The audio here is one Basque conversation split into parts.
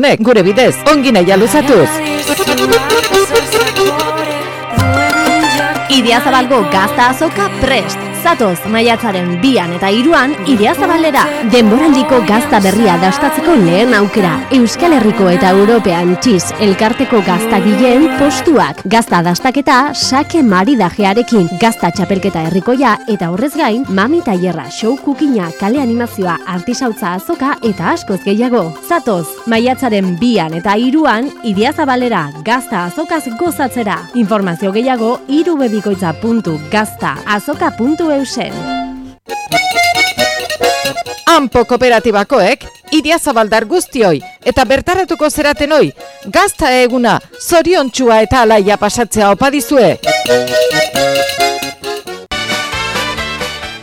Gure bidez, ongi nahia luzatuz. Idiazabalgo gazta azoka prest. Zatoz, maiatzaren 2 eta 3 Idiazabalera. Denboraldiko gazta berria dastatzeko lehen aukera. Euskal Herriko eta European txiz elkarteko gaztagileen postuak. Gazta dastaketa sake maridajearekin. Gazta txapelketa herrikoia eta horrez gain, mami tailerra, show kukina, kale animazioa, artisautza azoka eta askoz gehiago. Zatoz, maiatzaren 2 eta 3 Idiazabalera gazta azokaz gozatzera. Informazio gehiago irubebikoitza.gaztaazoka.eusen. Ampo kooperatibakoek Idiazabaldar guztioi eta bertaratuko zeratenoi gazta eguna zoriontsua eta alaia pasatzea opa dizue.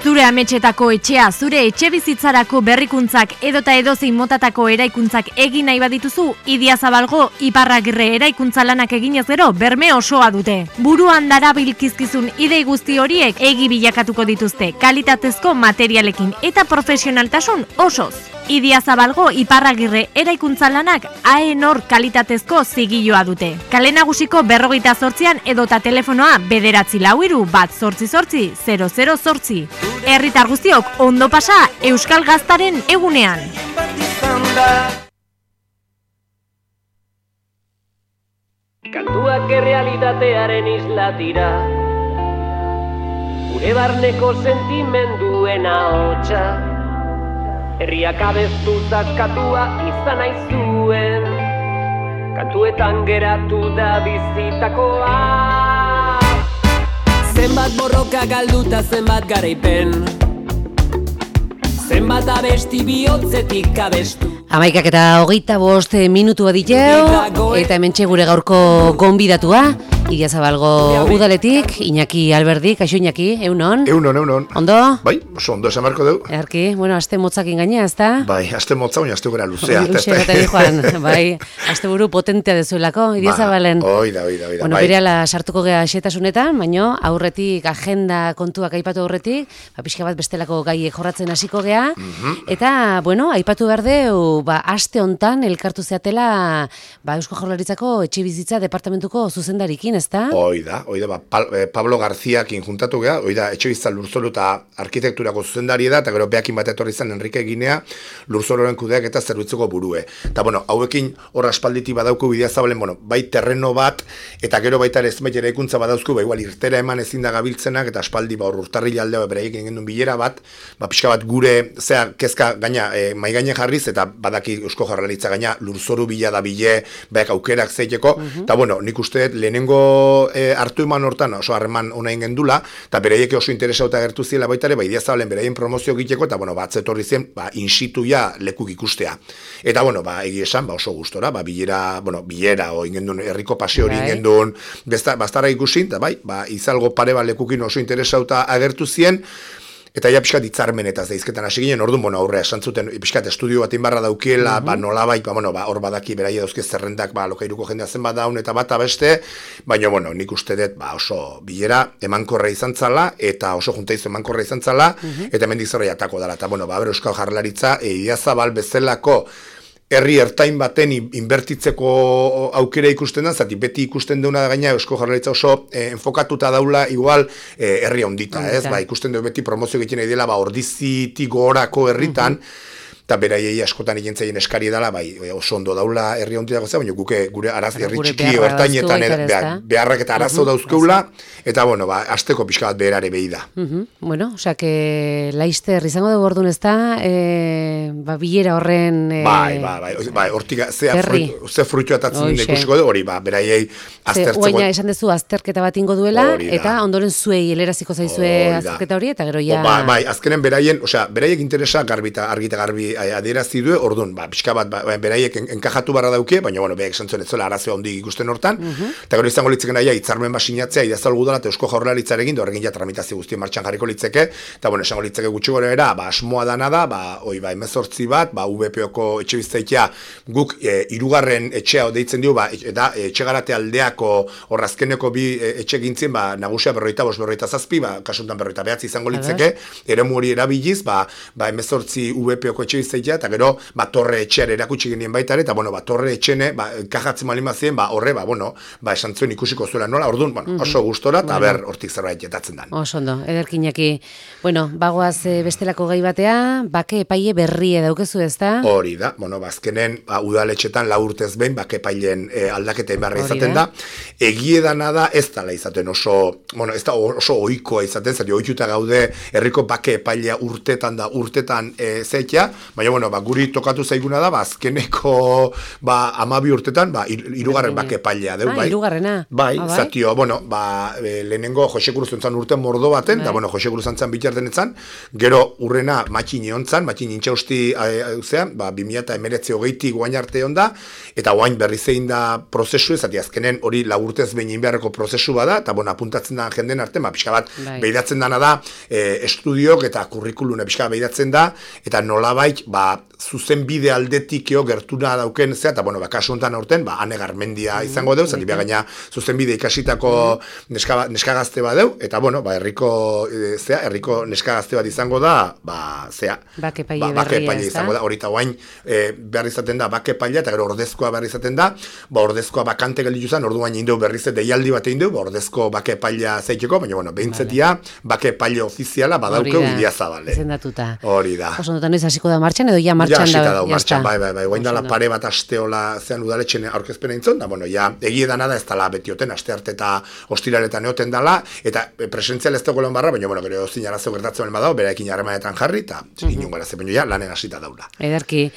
Zure ametxetako etxea, zure etxe bizitzarako berrikuntzak edota edozein motatako eraikuntzak egin nahi badituzu, Idiazabalgo Iparragirre eraikuntza lanak eginez gero berme osoa dute. Buruan darabilkizkizun idei guzti horiek egi bilakatuko dituzte kalitatezko materialekin eta profesionaltasun osoz. Idiazabalgo Iparragirre eraikuntza lanak AENOR kalitatezko zigilloa dute. Kale Nagusiko 48an edota telefonoa 944-888-008. Herritar guztiok ondo pasa Euskal Gaztaren egunean. Kantuak errealitatearen isla dira, gure barneko sentimenduen ahotsa, herriak abestu zaskatua izan aizuen, kantuetan geratu da bizitakoa. Zenbat borroka galduta zenbat garaipen, zenbat abesti bihotzetik abestu. 11:25 minutu baditeu, eta hementxe gure gaurko gonbidatua, Idiazabalgo udaletik, Iñaki Alberdi, kaixo Iñaki, eunon? Eunon. Ondo? Bai, oso ondo esan marko deu. Erki, bueno, aste motzakin gaina, ezta? Bai, aste motza, baina aste gara luzea. Luze gata joan, bai, aste buru potentea dezuelako, Idiazabalen. Oida, bueno, bai. berehala sartuko gea xetasunetan, baino aurretik agenda kontuak aipatu aurretik, pixka bat bestelako gaiek jorratzen hasiko gea, eta, bueno, aipatu behar deu, aste hontan elkartu zeatela, Eusko Jaurlaritzako etxebizitza departamentuko zuzendarikin, ezta? Oida, Pablo Garziakin juntatu gea, oida, etxebizitza lurzoru eta arkitekturako zuzendari da, eta gero beakin bat etorri izan Enrique Ginea, lurzororen kudeak eta zerbitzuko burue. Eta, bueno, hauekin hor aspalditi badauku Idiazabalen, bueno, bai terreno bat, eta gero baita ere zenbait eraikuntza badauzku, igual irtera eman ezin da gabiltzenak, eta aspaldi hor urtarrila aldea beraiekin egin duen bilera bat, pixka bat gure, kezka gaina, mai gaine jarriz, eta badaki Eusko Jaurlaritza gaina lurzoru bila da bile, baek aukerak zeiteko, eta bueno, nik uste lehenengo hartu eman hortan oso harreman ona ingen dula, eta beraiek oso interesauta gertu ziela baita ere, Idiazabalen beraien promozio egiteko, eta bueno, atzetorri zen, instituia lekuk ikustea. Eta bueno, egi esan, oso gustora, bilera, ingen duen, herriko paseo hori ingen duen, bastara ikusin, eta izalgo pare bat lekukin oso interesauta agertu zien, eta ja pixkat itzarmenetaz daizketan hasi ginen, orduan, aurrea esan zuten, pixkat estudio bat inbarra daukiela, nolabait, hor badaki beraia dauzke zerrendak, lokairuko jendea zen bat daun, eta bat abeste, baina, nik uste dut, oso bilera emankorra izan zala, eta oso juntaizu emankorra izan zala, eta hemendik zerra jatako dela, eta, Euskal Jaurlaritza, Idiazabal bezalako herri ertain baten inbertitzeko aukera ikusten da, zati beti ikusten deuna da gaina Eusko Jaurlaritza oso enfokatuta daula igual herri ondita, ez? Ikusten du beti promozio egiten nahi dela, ordizitik gorako herritan, eta beraiei askotan egin zaien eskari dela, oso ondo daula herri onditako zea, baina gure herri txiki ertainetan beharrak eta arazo dauzkeula, eta asteko pixka bat beherare behi da. Bueno, osea, laizter izango dugu orduan ez da, bilera horren... hortik ze fruitu atatzen ikusiko du, hori, beraiei aztertzeko... Oaina esan dezu azterketa bat ingo duela, eta ondoren zuei heleraziko zaizue azterketa hori, eta gero ja... Azkenen beraiek interesa argita garbi adierazi du, orduan, pixka bat, beraiek enkajatu barra dauke, baina, behek santzuen ez zuela arazoa hondik ikusten hortan, eta gero izango litzeken aia, hitzarmen basinatzea, Idiazabal udala eta Eusko Jaurlaritzarekin, horrekin ja tramitazio guztien martxan jarriko litzeke, eta, esango litzeke gutxi gora era, asmoa dana da, 18 bat, VPOko etxebizitzaitea guk hirugarren etxea deitzen dio, eta etxegarate aldeako horrazkeneko bi etxe gintzien, nagusia 45-47, kasuntan 49 izango litzeke, eremu hori erabiliz, 18 VPOko etxebizitzaitea zeitea, eta gero, torre etxeare erakutsi genien baita ere, eta, torre etxene, kajatzen malimazien, horre, esan zuen ikusiko zuela nola, orduan, oso gustora, eta ber, hortik zerbait jetatzen dan. Oso ondo, ederkinaki. Bagoaz bestelako gai batea, bake epaile berrie daukezu ezta? Hori da, azkenen, udaletxetan 4 urtez behin, bake epaileen aldaketen beharra izaten da. Egie dana da, ez dala izaten oso ohikoa izaten, zari ohituta gaude, herriko bake epailea urtetan zeitea, baina, guri tokatu zaiguna da, azkeneko 12 urtetan, hirugarren bake epailea deu, bai. Hirugarrena. Bai, zatio, lehenengo Jose Cruz entzan urte mordo baten, da, Jose Cruz entzan bitarten etzan, gero urrena matxin eontzan, matxin intxausti, 2019 guain arte onda, eta guain berri zein da prozesu, zati azkenen hori 4 urtez behin beharreko prozesu bada, eta apuntatzen da jenden arte, pixka bat, behidatzen dana da, estudiok eta kurrikuluna pixka behidatzen da, eta nolabait, zuzen bide aldetiko gertuna dauken, eta, kasu honetan aurten, Ane Garmendia izango deu, zati gaina zuzen bide ikasitako neska gazte bat deu, eta, herriko neska gazte bat izango da, bake epaile izango da, hori eta guain, behar izaten da, bake epailea, eta gero ordezkoa behar izaten da, ordezkoa bakante gelditu zen, orduan indeu berriz deialdi bat egin du, ordezko bake epailea zeiteko, baina, behintzetia, bake epaile ofiziala badaukeu Idiazabale. Izendatuta. Hori da. Oso notan noiz hasiko da martxan, edo ja martxan da. Martxan, bai, guain dala pare bat asteola zean udaletxen aurkezpena intzon, da, egie dana da ez dala betioten, aste arte eta ostiraletan eoten dala, eta presentzial ez dagoelan barra, baina, gero zinarazio gertatzen badao, beraekin harremanetan jarri, eta inungo araze, baina lanen hasita daula. Ederki.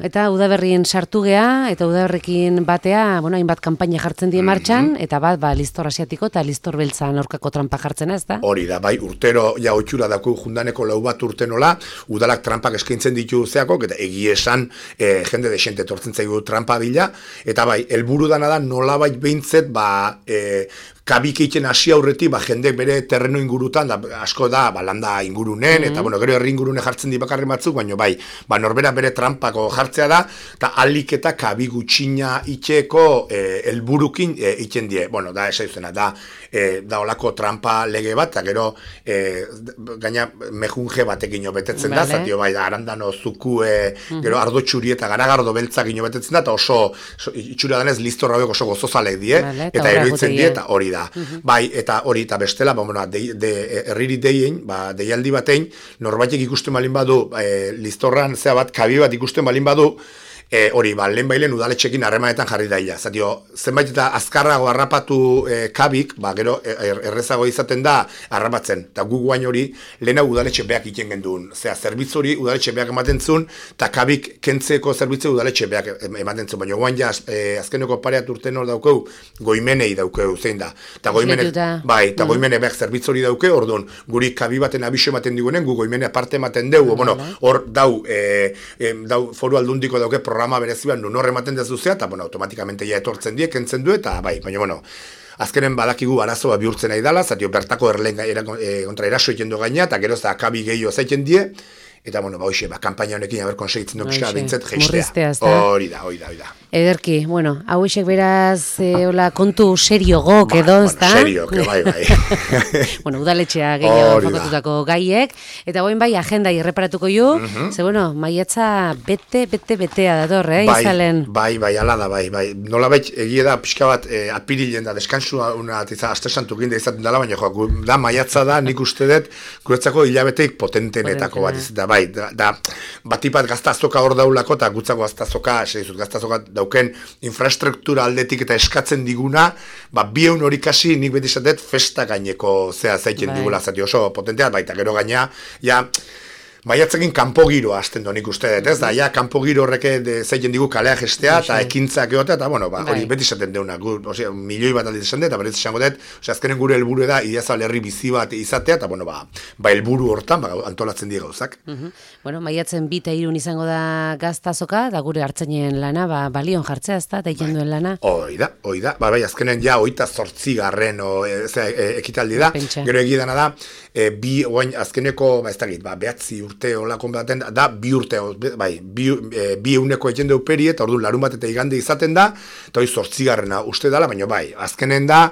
Eta udaberrien sartu gea, eta udaberrekin batea, hainbat kanpaina jartzen die martxan, eta bat, listor asiatiko eta listor beltzan aurkako trampa jartzen ez da? Hori da, bai, urtero ja otxura daku jundaneko 4 bat urtenola, udalak trampak eskaintzen ditu zeako, eta egie esan jende desente tortzen zaigu trampa bila, eta bai, helburu dana da nolabait behintzet, kabik egiten hasi aurretik, jendek bere terreno ingurutan, asko da, landa ingurunen, eta gero herri ingurune jartzen di bakarri batzuk, baina bai, norbera bere trampako jartzea da, eta alik eta kabik gutxina itxeko helburukin egiten die. Da, esaiuzena, da olako trampa lege bat, eta gero gaina mejunge batekin betetzen da, zatio bai, arandano zukue, gero ardo txuri eta garagardo beltzak betetzen da, eta oso itxura danez listor hauek oso gozozalek die, eta eroitzen die, eta hori da. Bai, eta hori eta bestela, herriri deien, deialdi batein, norbaitek ikusten balin badu, listorran zea bat, kabi bat ikusten balin badu, hori, lehen bailen udaletxekin harremanetan jarri daila. Zatio, zenbait eta azkarrago harrapatu kabik, gero errezago izaten da harrapatzen. Eta gu guain hori, lehena udaletxe beak iten genduen. Zea, zerbitzu hori udaletxe beak ematen zuen, eta kabik kentzeko zerbitzu udaletxe beak ematen zuen. Baina guain ja, azkeneko pareat urten hor daukeu, goimenei daukeu, zein da. Eta goimene beak zerbitzu hori daukeu, orduan, guri kabi baten abiso ematen digunen, gu goimene aparte ematen deu, hor dau foru aldundiko dauke programa bereziban nun horre ematen dezuzea, eta automatikamente ja etortzen die, kentzen du, eta bai, baina azkenen badakigu arazoa bihurtzen nahi dala, zatio bertako erleen kontra eraso egiten du gaina, eta gero ez da akabi gehiago zaiten die, eta hoxe, kampaina honekin haber konsegitzen duk pixka bintzet geistea. Hori da. Ederki, hauexek beraz, kontu serio gok edo, ez da? Serio, bai. Udaletxea gehiago fakotutako gaiek, eta goin bai, agenda irreparatuko ju, ze maiatza betea dator, izalen? Bai, ala da, bai. Nola bai, egie da, pixka bat, apirilen da, deskansua, aste santu ginde izaten dela, baina da, maiatza da, nik uste dut, guretzako hilabeteik potentenetako bat izatea, bai, batipat gaztazoka hor daulako, eta gutzako gaztazoka dauken infrastruktura aldetik eta eskatzen diguna, bieun hori kasi nik beti izatet festa gaineko zaiten digula, zati oso potentea, baita gero gaina, maiatzekin kanpo giroa hasten donik uste dut, ez da, kanpo giro horreke zaiten digu kalea gestea, eta ekintzak egotea, eta hori beti izaten deuna, milioi bat aldiz esan dut, eta berriz esango dut, azkenen gure helburu da, Idiazabal herri bizi bat izatea, eta helburu hortan, antolatzen dira gauzak. Maiatzen 2 eta 3 izango da gaztazoka, da gure hartzainen lana, balion jartzea, ez da, eta duen lana. Hoi da, bai, azkenen 28 ekitaldi da, gero egidana da, azkeneko, behatzi urte olakon baten da, 2 urte, bi euneko egin deuperi, eta orduan larun bat eta igande izaten da, eta hori 8 uste dala, baina bai, azkenen da,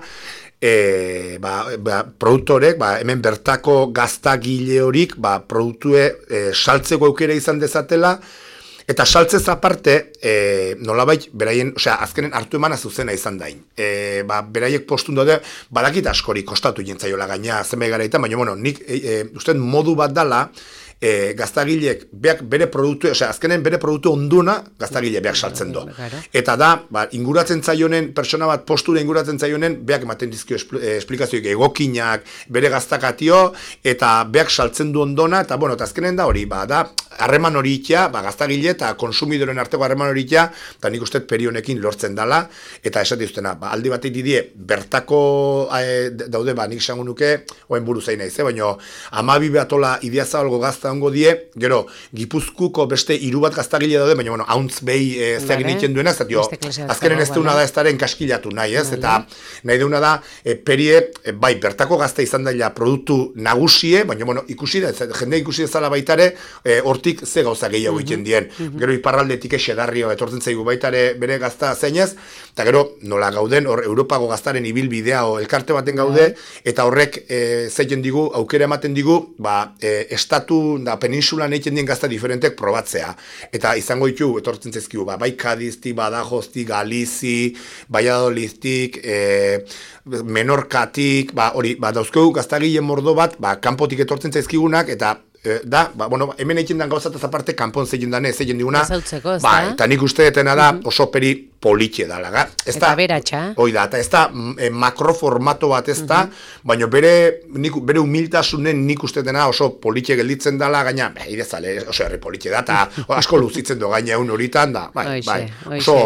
produktorek, hemen bertako gaztagile horik, produktue saltzeko aukera izan dezatela, eta saltzez aparte, nolabait, beraien, azkenen hartu emana zuzena izan dain. Beraiek postun daude, badakit askori kostatu jentzaiola gaina, zenbait garaitan, baina, nik uste modu bat dala, gaztagilek beak bere produktu, azkenen bere produktu onduna gaztagile beak saltzen du. Eta da, inguratzen zaionen, persona bat postura inguratzen zaionen, beak ematen dizkio esplikazioik egokinak, bere gaztakatio, eta beak saltzen du ondona, eta azkenen da hori, da, harreman hori itea, gaztagile eta konsumidoren arteko harreman hori itea, eta nik uste perionekin lortzen dala, eta esate duztena, aldi batek didie, bertako daude, nik esango nuke, oen buru zain naiz, baina 12 batola Idiazabalgo gazta ongo die, gero, Gipuzkuko beste 3 bat gaztagile daude, baina, hauntz behi zeagin egiten duena, azkenen ez deuna da ez daren kaskilatu nahi, eta nahi deuna da, perie, bertako gazta izan daila produktu nagusie, baina, ikusi da, jende ikusi dezala baitare, hortik ze gauza gehiago egiten dien. Gero iparraldetik esedarrio etortzen zaigu baitare bere gazta zeinez, eta gero nola gauden, hor Europako gaztaren ibilbidea o elkarte baten gaude, eta horrek zeiten digu, aukera ematen digu, estatu da peninsulan egiten dien gazta diferentek probatzea. Eta izango ditu, etortzen zaizkigu, bai Kadiztik, Badajostik, Galizi, Valladolidtik, Menorkatik, hori, dauzkegu gaztagile mordo bat, kanpotik etortzen zaizkigunak, eta da, hemen egiten den gauzataz aparte kanpon zeiten dane, zeiten diguna, eta nik uste detena da oso peri politxe dala. Eta beratxa. Hoi da, eta ez da makroformato bat ez da, baina bere humiltasunen nik uste dena oso politxe gelditzen dala, gaina, idezale, oso herri politxe da, eta asko luzitzen do gaina egun horitan da, oso,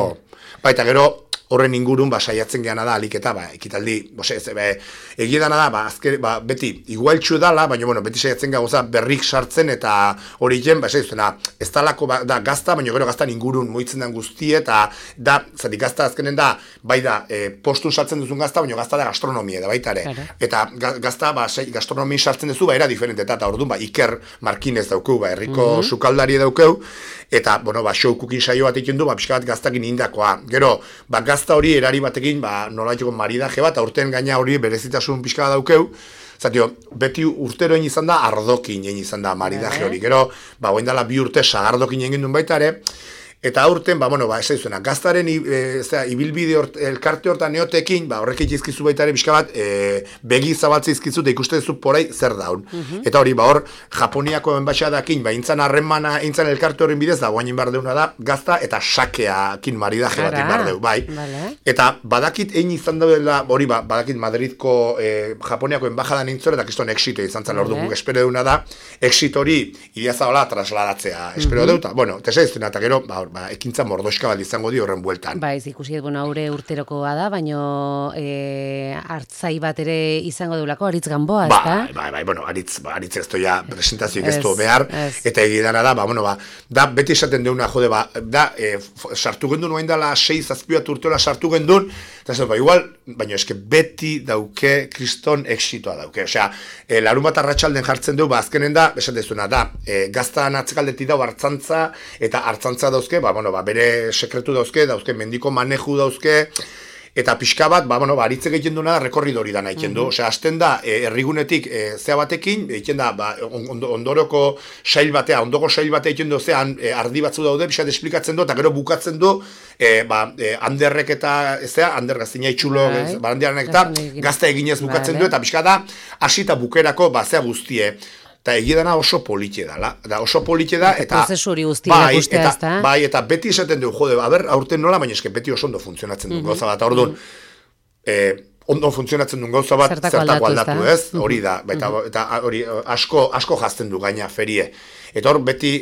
eta gero, horren ingurun saiatzen geana da aliketa, ekitaldi, egia dana da, beti igualtxu dala, baina beti saiatzen gauza berrik sartzen eta hori jen, ez talako da gazta, baina gero gaztan ingurun moitzen den guztie, eta da, zati gazta azkenen da, bai da, postun sartzen duzun gazta, baina gazta da gastronomia, da baita ere. Eta gazta, gastronomia sartzen duzu, era diferente, eta orduan, Iker Markinez daukeu, herriko sukaldari daukeu, eta, show cooking saio bat egin du, pixka bat gaztakin indakoa. Gero, gazta hori erari batekin, nolaiteko maridaje bat, aurten gaina hori berezitasun pixka bat daukeu, zatio, beti urtero egin izan da, ardokin egin izan da maridaje hori. Gero, oen dela 2 urte sagardokin egin duen baita ere, eta aurten, ez duzuna, gaztaren ibilbide elkarte hortan neotekin, horrek egizkizu baita ere, pixka bat, begi zabaltze izkizu, eta ikuste duzu porai zer daun. Eta hori, hor, Japoniako enbaixadakin, intzan harremana, intzan elkarte horren bidez, da, guainin behar deuna da, gazta eta sakeakin maridaje bat behar deu, bai. Eta badakit egin izan daudela, hori, badakit Madridko Japoniako enbajadan intzore, eta kiston exito izan zan, ordu guk espero deuna da, exito hori, Idiazabala trasladatzea, espero deuta, tesa iztuna, eta gero, ekintza mordoska bat izango di horren bueltan. Ez ikusi, haure urterokoa da, baino hartzai bat ere izango deulako, Aritz Gamboa, ez da? Aritz ez doia presentazioik ez du behar, eta egidana da, da, beti esaten deuna, jode, da, sartu gendun, oain dala 6-7 urteola sartu gendun, eta ez igual, baina eske beti dauke kriston exitoa dauke, larun bat arratsalden jartzen du, azkenen da, esatezuna, da, gaztan atzekaldetik dau hartzantza, eta hartzantza dauzke, bere sekretu dauzke, mendiko maneju dauzke, eta pixka bat, aritze egiten duena da, rekorridori da nahi du. Hasten da, herrigunetik zea batekin, egiten da, ondoroko sail batea, ondoko sail batea egiten du, zean ardi batzu daude, pixat esplikatzen du, eta gero bukatzen du, handerrek eta, hander gaztina itxulo, barandiaranek eta, gazta eginez bukatzen du, eta pixka da, hasita bukerako, zea guztie. Eta egidana oso politxe da, oso politxe da, eta prozesu hori guztia ikustea ez da. Bai, eta beti esaten du, jode, aurten nola, baina eske beti oso ondo funtzionatzen duen gauza bat, orduan, ondo funtzionatzen duen gauza bat, zertako aldatu ez, hori da, eta hori asko jazten du gaina ferie. Eta hor beti,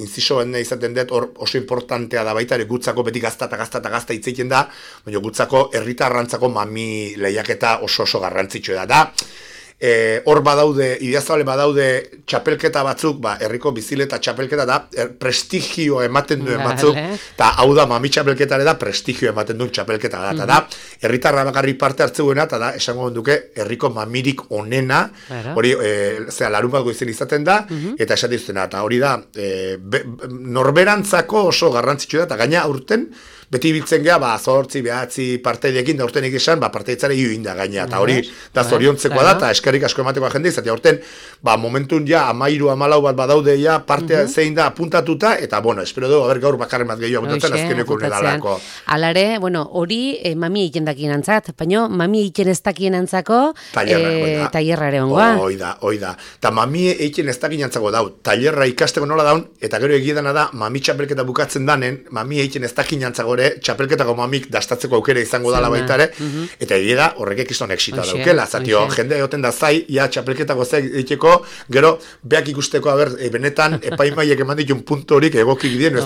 inzisoen izaten dut, hor oso importantea da baita, gutzako beti gazta hitz egiten da, baina gutzako herritarrantzako mami lehiaketa oso garrantzitsua da. Hor badaude, Idiazabale badaude txapelketa batzuk, herriko bizileta txapelketa da, prestigio ematen duen batzuk, eta hau da, mami txapelketare da, prestigio ematen duen txapelketa da, eta da, herritarra bakarrik parte hartzeuena, eta da, esango duke, herriko mamirik onena, hori, larun bat goizen izaten da, eta esatiztena, eta hori da, norberantzako oso garrantzitsua da, eta gaina aurten, beti biltzen gea, 8, 9 partaidekin, da urten esan, partaitzare da gaina, eta hori, da zoriontzekoa da, eta eskerrik asko ematekoa jende, izatea urten, momentun ja, 13-14 bat badaude ja, partea zein da apuntatuta, eta, espero dugu, gaur bakarren bat gehiago apuntatzen, azkeneko unedalako. Alare, hori, mami egiten dakien antzat, baina mami egiten ez dakien antzako, tailerrare ongoa. Oida. Eta mami egiten ez dakien antzako dau, tailerra ikasteko nola daun, eta gero egiedana da, mami txapelketa bukatzen danen, mami egiten ez dakien antzagore, txapelketako mamik dastatzeko aukera izango dala baitare, eta egia da, horrek ekizton exitoa daukela, zatio, jende egoten da zai, ja txapelketako zai egiteko, gero, beak ikusteko, benetan, epaimaiek eman ditun puntu horik egokik dien,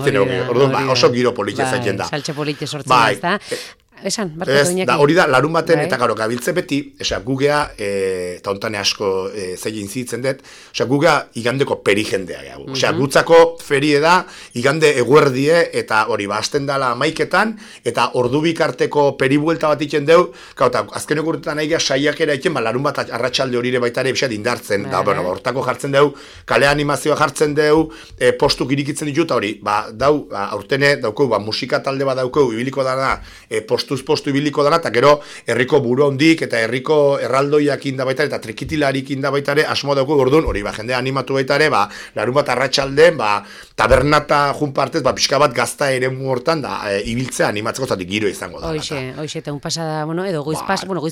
orduan, oso giro politia zaiten da. Saltxe politia sortzen da, esan, barkatu Iñaki. Hori da, larun baten, eta garo, gabiltze beti, gugea, eta ontane asko zein zitzen dut, gugea igandeko peri jendea gehiago. Gutzako ferie da, igande eguerdie, eta hori, hasten dala maiketan, eta ordu bikarteko peribuelta bat itzen deu, eta azkeneko urtetan nahi saiakera itzen, larun bat arratsalde horire baitare bisat indartzen, da, hortako jartzen deu, kale animazioa jartzen deu, postuk irikitzen ditut, hori, dau, aurtene, daukau, musika talde bat daukau, ibiliko dara, postu ibiliko dara, eta gero herriko buru hondik eta herriko erraldoiak inda baitare, eta trikitilarik inda baitare, asmo dauko gordun, hori, jende animatu baitare, larun bat arratsalden, tabernata jun partez, pixka bat gazta ere hortan, ibiltzea animatzeko zatik giro izango da. Hoxe, eta un pasa da, edo goiz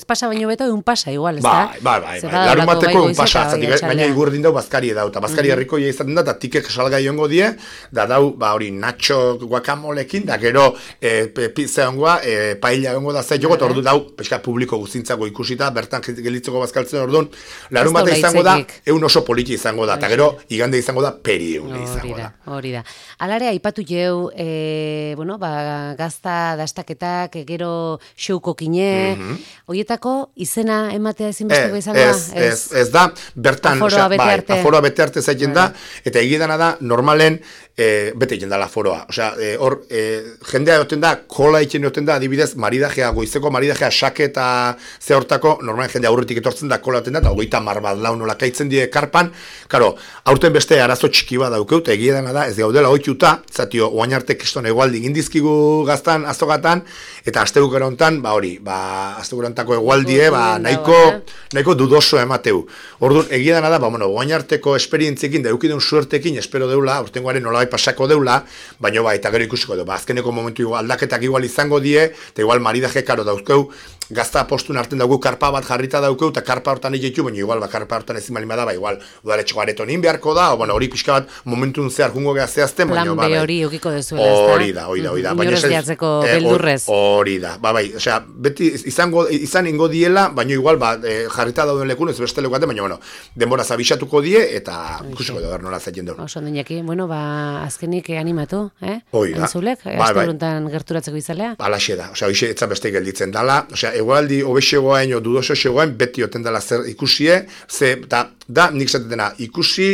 pasa baino beto, un pasa igual, ez da? Larun bateko un pasa, baina igurdin dau bazkari edau, eta bazkari herrikoia izaten da, eta tikek salga iongo die, da dau, hori, nacho guacamolekin, da gero, pizza ongoa, paella egongo da zait jogot, ordu dau, peska publiko guztintzako ikusita, bertan gelitzeko bazkaltzen orduan, larun bat izango da, egun oso politi izango da, eta gero, igande izango da, peri egun izango da. Hori da. Alare, aipatu jau, gazta dastaketak, gero xouko kine, horietako izena ematea ezinbesteko izango da? Ez da, bertan, aforoa bete arte zaiten da, eta egidana da, normalen, bete egiten da la foroa. Hor, jendea egoten da, kola egiten egoten da, adibidez, maridajea, goizeko maridajea, sake eta ze hortako, normalen jendea aurretik etortzen da, kola egiten da, eta hogeita bat lau nola kaitzen die karpan, karo, aurten beste arazo txiki bat daukeu, eta egia dena da, ez gaudela oituta, zatio, oain arte kriston egualdi gindizkigu gaztan, azogatan, eta astegukera hontan, astegukera hontako egualdie, nahiko dudoso emateu. Orduan, egia dena da, oain arteko esperientziekin, da eukidun suertekin, espero deula, urtengoaren nola pasako deula, baina eta gero ikusiko du, azkeneko momentu aldaketak igual izango die, eta igual maridaje karo dauzkeu, gazta postun hartzen dugu karpa bat jarrita daukeu, eta karpa hortan egitu, baina igual karpa hortan ezin balin bada, igual udaletxeko areton inbeharko da, hori pixka bat momentun zehar jungo geha zehazten, baina plan B hori eukiko dezuela, ez da? Hori da. Inores gehatzeko beldurrez. Hori da, beti izan ingo diela, baina igual jarrita dauden lekun, ez beste lekuate, baina denbora zabixatuko die, eta ikusiko da nola zaiten du. Oso, Iñaki, azkenik animatu, Oida. Entzulek, asteburuntan gerturatzeko izalea? Alaxe da, hoxe etzan beste gelditzen dala, egualdi obexegoain o dudoso xegoain beti oten dela zer ikusie, da nik zatetena ikusi,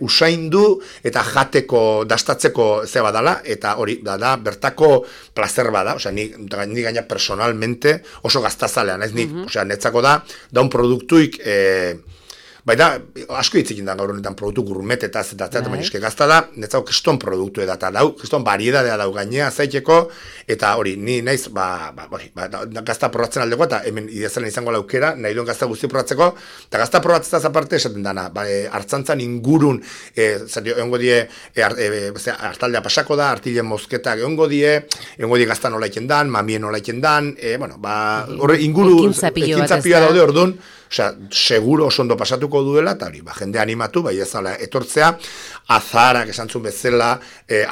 usaindu eta jateko, dastatzeko zeba dala, eta hori, da bertako placer bada, nik gaina personalmente oso gaztazalean, ez nik, netzako da un produktuik, baina, asko hitzekin da gaur honetan produktu gurmetetaz eta baina eske gazta da, netzau kriston produktu eta dau, kriston variedadea dau gainea zaiteko, eta hori, ni naiz, gazta probatzen aldeko, eta hemen ideazalen izango laukera, nahi duen gazta guzti probatzeko, eta gazta probatzez aparte esaten dana, hartzantzan ingurun, egongo die, hartaldea pasako da, artilen mozketak egongo die gazta nola iken dan, mamien nola iken dan, horre inguru, ekintzapioa daude orduan, seguro oso ondo pasatuko duela, eta hori, jende animatu, bai ezala etortzea, azarak esantzun bezala,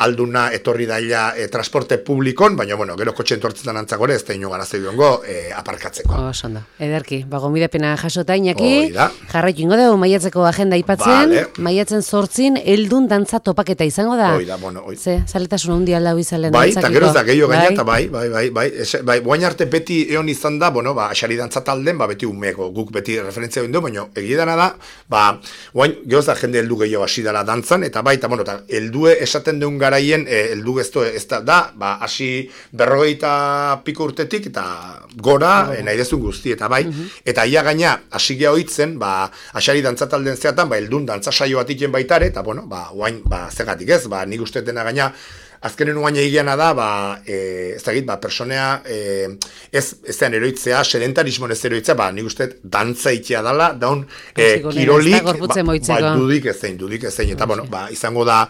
alduna etorri daila transporte publikon, baina, gero kotxe entortzetan antzakore, ez da ino garazei duengo aparkatzeko. Oso ondo, ederki, gomidapena jasota Iñaki, jarraitu ingo dugu maiatzeko agenda ipatzen, maiatzen 8 heldun dantza topaketa izango da. Oida, Ze, zaletasun hundi aldau izalen dantzakiko. Eta gero ez da, gehiago gaina, eta guain arte beti egon izan da, asari dantza talden, beti umeko, guk beti referentzia bindu, baina egidana da, guain, gehoz da jende heldu gehiago hasi dela dantzan, eta heldue esaten duen garaien, heldu ez da, hasi 40 piko urtetik, eta gora, nahi dezun guzti, eta eta ia gaina, hasi geha hoitzen, asari dantzatalden zeatan, heldun dantza saio bat iken baitare, eta guain, zegatik ez, nik uste dena gaina, azkenen uaina egiana da, ez dakit, personea, zean eroitzea, sedentarismon ez eroitzea, nik uste dantza ikia dala, daun kirolik, dudik ezein, eta, bueno, izango da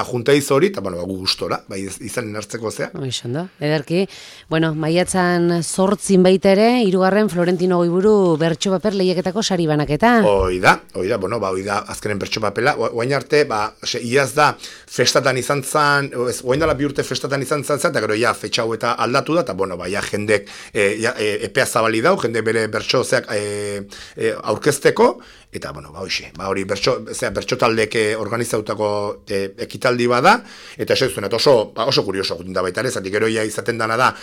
juntaiz hori, eta, bueno, gu gustora, izanen hartzeko zea. Oixondo, ederki, bueno, maiatzan 8 baita ere, 3. Florentino Goiburu bertso paper lehiaketako sari banaketa. Oida, bueno, oida, azkenen bertso papela, oain arte, iaz da, festatan izan zan, oain dala 2 urte festatan izan zan, eta gero ja fetxau eta aldatu da, eta bueno, jendek epea zabali dau, jende bere bertsozeak aurkezteko, eta bueno, hori bertso taldek organizautako ekitaldi bada, eta oso kurioso gutun da baita ere, zatik gero ja izaten dana da,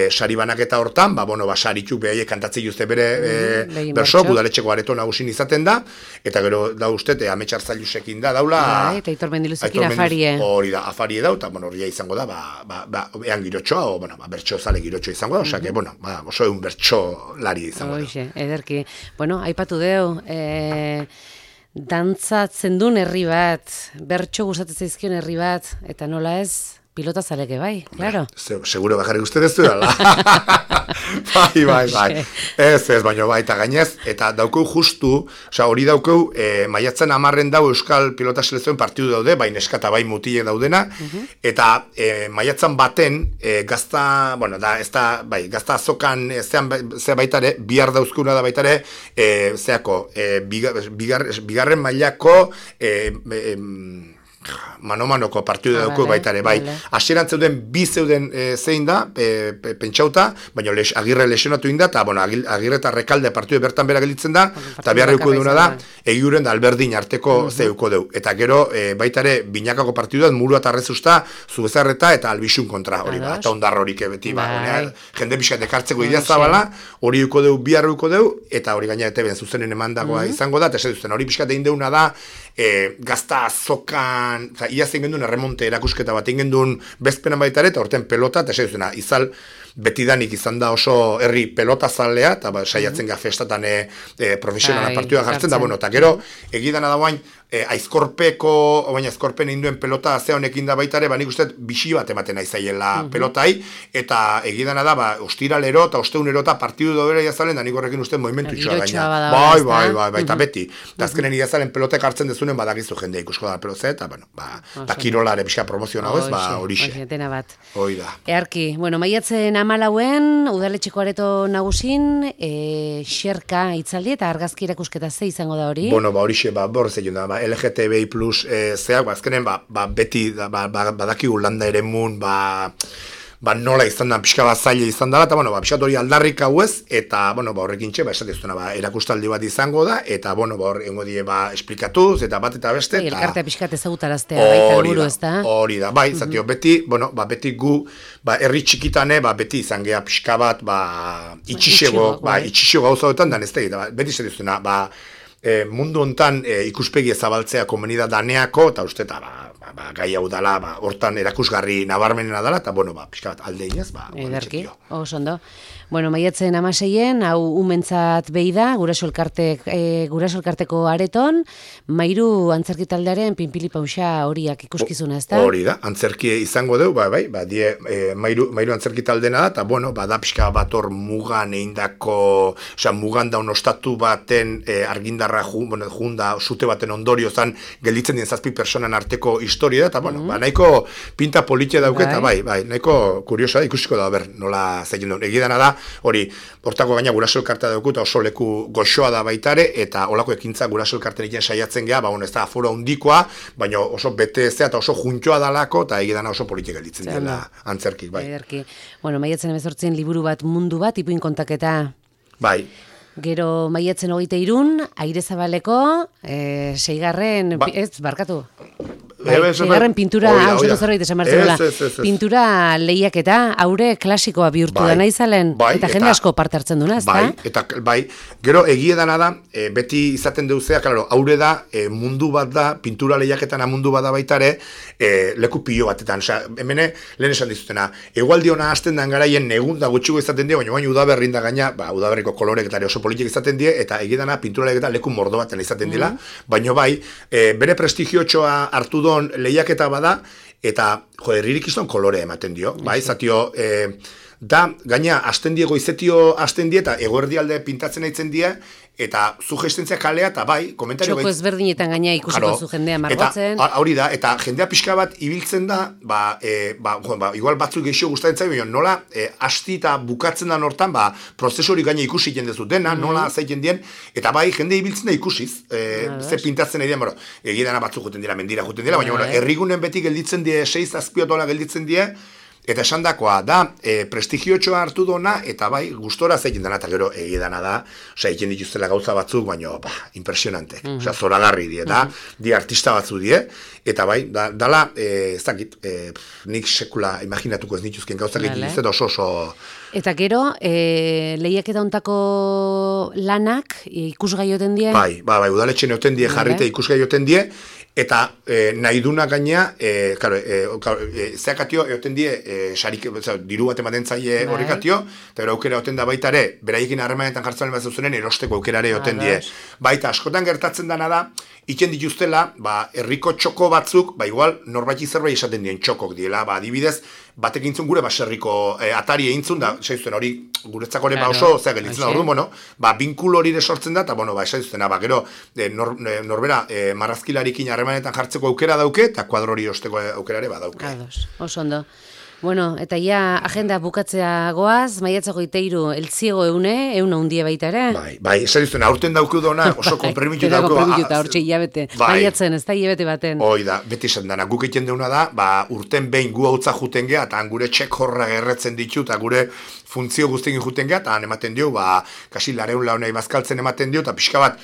sari banaketa hortan, saritu behaiek kantatzei juzte bere bertso, Udaletxeko areto nagusin izaten da, eta gero da uste, Ametsar Zailusekin da, daula... Eta Aitor Mendiluzekin afarie. Hori da, afarie da, eta hori izango da, ean girotxoa, bertso zale girotxoa izango da, osea, oso egun bertso lari izango da. Ederki. Bueno, aipatu deu, dantzatzen duen herri bat, bertso gustatzen zaizkion herri bat, eta nola ez, pilota zaleke bai, claro. Seguro bajarrik uste dezu dala. Bai. Ez, baina eta gainez, eta daukeu justu, hori daukeu, maiatzen 10 dau Euskal Pilota Selekzioen partidu daude, bai neskata bai mutilek daudena, eta maiatzen baten, gazta azokan, zea baitare, bihar dauzkuna da baitare, bigarren mailako, mano-manoko partidu dauko baitare, bai. Hasieran zeuden bi zeuden zein da, pentsauta, baina Agirre lesionatu inda, eta Agirre eta Rekalde partidu bertan bera gelditzen da, eta beharreuko duna da, egiuren da Alberdin arteko zeuko deu. Eta gero, baitare, binakako partidu da, Murua eta Arrezusta, Zubezarreta eta Albisun kontra, hori ba, eta ondarro horik beti, jende pixkat ekartzeko idea zabala, hori uko deu, biharreuko deu, eta hori gaina eta ben zuzenen emandagoa izango da, eta esan hori pixkat egin deuna da, gazta azokan, iaz egin duen erremonte erakusketa bat egin duen bezpenan baita ere, eta horten pelota, eta esan izal betidanik izan da oso herri pelota zalea, eta saiatzen ga festatan profesionala partidua jartzen, da, eta gero, egidana da guain, aizkorpen egin duen pelota zea honekin da baita ere, nik uste bixi bat ematen aizaiela pelotai, eta egidana da, ostiralero eta osteunero eta partidu dobera jazalen, da nik horrekin uste movimentu itxoa gaina. Bai, eta beti. Eta azkenen jazalen pelotek hartzen dezunen badakizu jendea ikusko da pelotze, eta kirolare pixka promozionago ez, horixe. Hoi da. Earki, maiatzen 14 Udaletxeko areto nagusin, xerka itzaldi eta argazki erakusketa ze izango da hori? Horixe, borrez egin da, LGTBI plus zeak, azkenen, beti badakigu landa ere mun, nola izan da, pixka bat zaila izan dela, eta, pixkat hori aldarrik hau ez, eta, horrekin txe, esatezuna, erakustaldi bat izango da, eta, engo die, esplikatuz, eta bat eta beste, eta... Elkartea pixkat ezagutaraztea, baita helburu ez da? Hori da, bai, zatio, beti, beti gu, herri txikitane, beti izan geha pixka bat, itxixego gauza hoetan, dan ez da, beti esatezuna, mundu hontan ikuspegi ezabaltzea komunidad daneako, eta uste, gai hau dala, hortan erakusgarri nabarmenena dala, eta, pixka bat aldeinaz, Ederki, osondo. Maiatzen 16, hau umentzat behi da, Guraso Elkarteko areton, Mairu antzerki taldearen pinpili pausa horiak ikuskizuna, ez da? Hori da, antzerki izango deu, Mairu antzerki taldena da, eta, da pixka bat hor mugan eindako, mugan daun ostatu baten argindarra junda, sute baten ondorio zan, gelditzen dien 7 personan arteko historia da, eta, nahiko pinta politia dauke, eta, nahiko kuriosa da, ikusiko da, nola zeilen duen, egidana da, hori, hortako gaina Guraso Elkartea dauku, eta oso leku goxoa da baitare, eta olako ekintza Guraso Elkarteen egiten saiatzen geha, ez da aforo handikoa, baina oso bete ezea, eta oso juntxoa dalako, eta egidana oso politika gelditzen dela antzerkik, bai. Maiatzen 18 liburu bat mundu bat, ipuin kontaketa. Bai. Gero maiatzen 23, Airezabaleko, 6. Seigarren pintura, zerbait esan behar pintura lehiaketa, haure klasikoa bihurtu da nahi zalen, eta jende asko parte hartzen duna, ez da? Gero egiedana da, beti izaten deuzea, haure da, mundu bat da, pintura lehiaketana mundu bat da baitare, leku pilo batetan, hemen lehen esan dizutena, egualdi hona hasten den garaien negun da gutxiko izaten die, baina udaberrin da gaina, udaberriko kolorek oso politik izaten die, eta egiedana pintura lehiaketa leku mordo baten izaten dela, baina bere prestigiotxoa hartu lehiaketa bada, eta, herririk izan kolore ematen dio, bai, zatio, da, gaina, hasten die, goizetio hasten die, eta eguerdialde pintatzen aitzen die, eta sugestentzia kalea, eta bai, komentario... Txoko ezberdinetan gaina ikusiko zu jendea margotzen. Eta hori da, eta jendea pixka bat ibiltzen da, igual batzuk gehiago gustatzen zaio, nola, hasti eta bukatzen da hortan, prozesu hori gaina ikusi jendezu dena, nola zaiten dien, eta bai, jende ibiltzen da ikusiz, ze pintatzen nahi dien, egidana batzuk juten dira, mendira juten dira, baina herrigunen beti gelditzen die, 6-7 gelditzen die, eta esandakoa da, prestigiotxoa hartu dona, eta bai, gustora zeiten dena, eta gero egidana da, egiten dituztela gauza batzuk, baina, impresionante, zoragarri die, di artista batzu die, eta bai, dala, ez dakit, nik sekula imaginatuko ez dituzken gauzak egiten dituzte, oso... Eta gero, lehiaketa ontako lanak ikusgai oten die? Bai, udaletxen oten die jarrite ikusgai oten die, eta nahi duna gaina, zeakatio eoten die, diru bat ematen zaie horrekatio, eta gero aukera oten da baita ere, beraiekin harremanetan jartzen bat zuzenen, erosteko aukerare oten die. Baita, askotan gertatzen dana da, iken dituztela, herriko txoko batzuk, igual, norbaiti zerbait esaten dien txokok diela, adibidez, batek intzun gure baserriko atari eintzun da, esaizuten hori guretzako ere oso, gelditzen da orduan, binkulo hori sortzen da, eta esaizuten, gero norbera marrazkilarikin harremanetan jartzeko aukera dauke, eta kuadro hori osteko aukera ere badauke. Oso ondo. Bueno, eta ja agenda bukatzea goaz, maiatzako 23 eltziego eune hundie baita ere. Bai, esan dizuen, aurten dauku dona, oso konpremitu dauku. Hortxe hilabete, maiatzen, ez da hilabete baten. Hoi da, beti esan dana, guk egiten deuna da, urten behin gu hautza juten geha, eta gure txek horra gerretzen ditu, eta gure funtzio guztien juten geha, eta ematen dio, kasi lareun launei bazkaltzen ematen dio, eta pixka bat,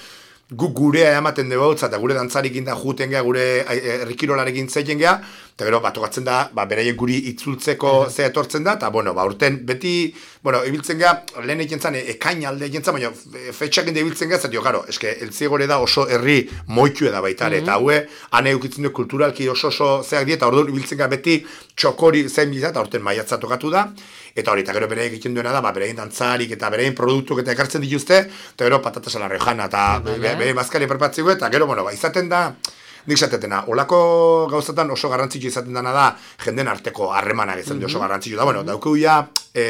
guk gurea ematen dugu hautza, eta gure dantzarikin da juten geha, gure errikirolarekin zeiten geha, eta gero, tokatzen da, beraiek guri itzultzeko ze etortzen da, eta, urten beti, ibiltzen geha, lehen egin zan, ekain alde egin zan, baina fetxak ende ibiltzen geha, zatio, garo, eltziegore da oso herri moitu eda baitare, eta haue, ane eukitzen du kulturalki oso zeak die, eta orduan ibiltzen geha beti txokori zein bila, eta orten maiatza tokatu da, eta hori, eta gero bere egiten duena da, berein dantzarik eta berein produktuk eta ekartzen dituzte, eta gero patatas a la riojana, eta bere bazkari perpatziko, eta gero, izaten da, nik zatetena, olako gauzatan oso garrantzitsu izaten dena da, jenden arteko harremanak izan oso garrantzitsu da, daukeu ja,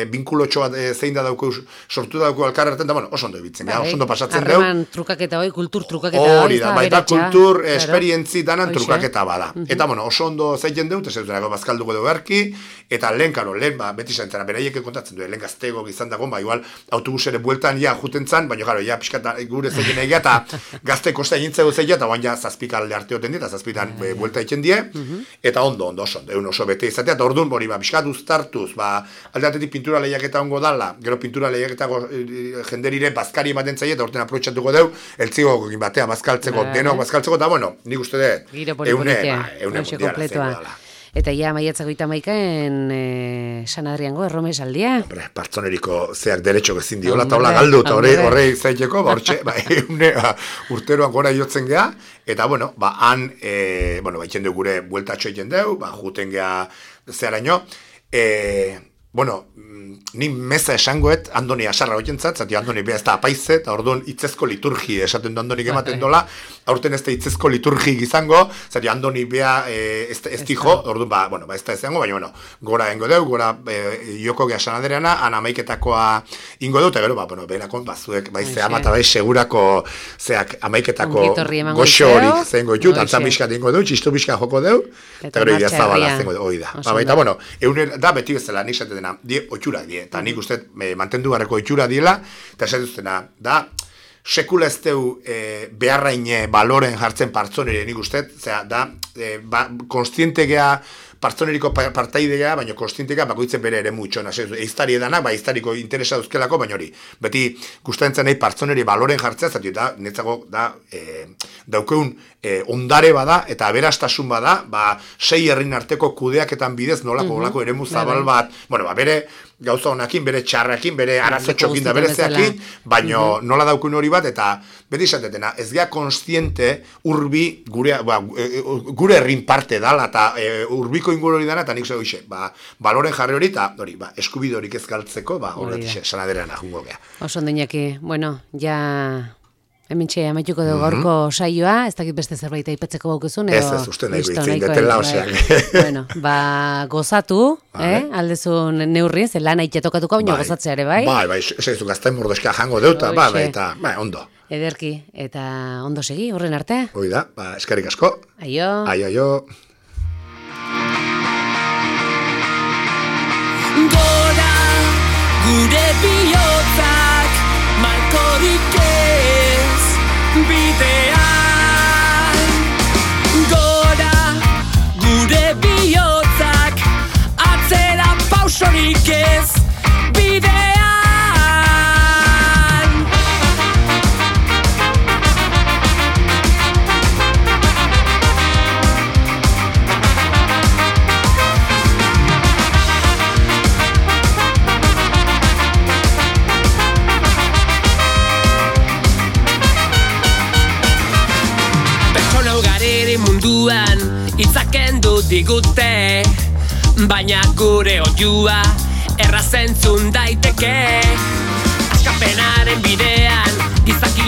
binkulotxo bat zein da daukeu, sortu da daukeu alkarretan, da, oso ondo ebitzen, oso ondo pasatzen deu. Harreman trukaketa hoi, kultur trukaketa hori da, baita kultur esperientzi danan trukaketa bada. Eta, oso ondo zeiten deu, eta zeutenako bazkalduko dugu erki, eta lehen, beti zaintena, beraiek kontatzen du, lehen gaztego gizan dagoen, igual, autobusere bueltan ja juten zan, baina, pixkata gure zeiten egia, eta gazteko zein zeia, eta ja zazpikalde arte eta zazpitan buelta egiten die, eta ondo, oso bete izatea, eta orduan bori, pixkat uztartuz, aldeatetik pintura lehiaketa ongo dala, gero pintura lehiaketa jenderire bazkari ematen zaie, eta orten aprotxatuko deu, eltzigo batea bazkaltzeko, denok bazkaltzeko, eta nik uste dut, eune mundiala. Eta ja, maiatzako 31en San Adriango, erromesaldia. Partzoneriko zeak derecho ezin diola, eta hola galdu, eta horrei zaiteko, hortxe, urteroan gora jotzen geha, eta, han, itxen dugu gure bueltatxo egiten dugu, juten geha zeharaino, ni meza esangoet Andoni Asarra hoientzat, zati Andoni beha ez da apaize, eta orduan itzezko liturgi esaten du Andonik ematen dola, aurten ez da itzezko liturgi izango, zati Andoni beha ez dijo, orduan, ez da izango, baina, gora engo deu, gora joko geha sanadereana, amaiketakoa ingo deu, eta gero, berakon, zuek, zea mata segurako, zeak, amaiketako goxo horik zengo ditu, dantzan bizkat ingo deu, txistu bizkat joko deu, eta gero idea zabala zengo deu, hoi da. Baita, euner, da beti bezala, nik zaten dena, oitxura die, eta nik uste mantendu garrako oitxura diela, eta esatuztena, da, sekula ez deu beharraine baloren jartzen partzonere nik uste, da, konstiente geha partzoneriko partaidea, baina konstientea bakoitzen bere ere mutxona. Eiztari edanak, eiztariko interesa duzkelako, baina hori, beti gustatzen nahi partzoneri baloren jartzea, zati eta netzako daukeun ondare bada, eta aberastasun bada, 6 herrin arteko kudeaketan bidez nolako eremu zabal bat, bere gauza honakin, bere txarrakin, bere arazotxokin da bere zeakin, baina nola daukun hori bat, eta beti esatetena, ez gea konstiente urbi gure herrin parte dala, eta urbiko inguru hori dana, eta nik zego baloren jarri hori, eta eskubide horik ez galtzeko, hori sanaderean ahungo gea. Oso ondinaki, ja Hementxe amaituko dugu gaurko saioa, ez dakit beste zerbait aipatzeko baukizun, edo... Ez, uste nahiko listo, itzin nahiko detela, bai. oseak. Bueno, gozatu, aldezun neurri, ze lan aitea tokatuko, baina gozatzea ere, bai? Bai, esaizu gaztain mordoska jango deuta, eta, ondo. Ederki, eta ondo segi, horren arte? Hoi da, eskerrik asko. Aio. Aio. Gora, gure bihotzak, malkorik ez, bidean. Gora, gure bihotzak, atzera pausorik ez, bidean. Munduan itzaken du digute, baina gure oiua errazentzun daiteke. Askapenaren bidean gizaki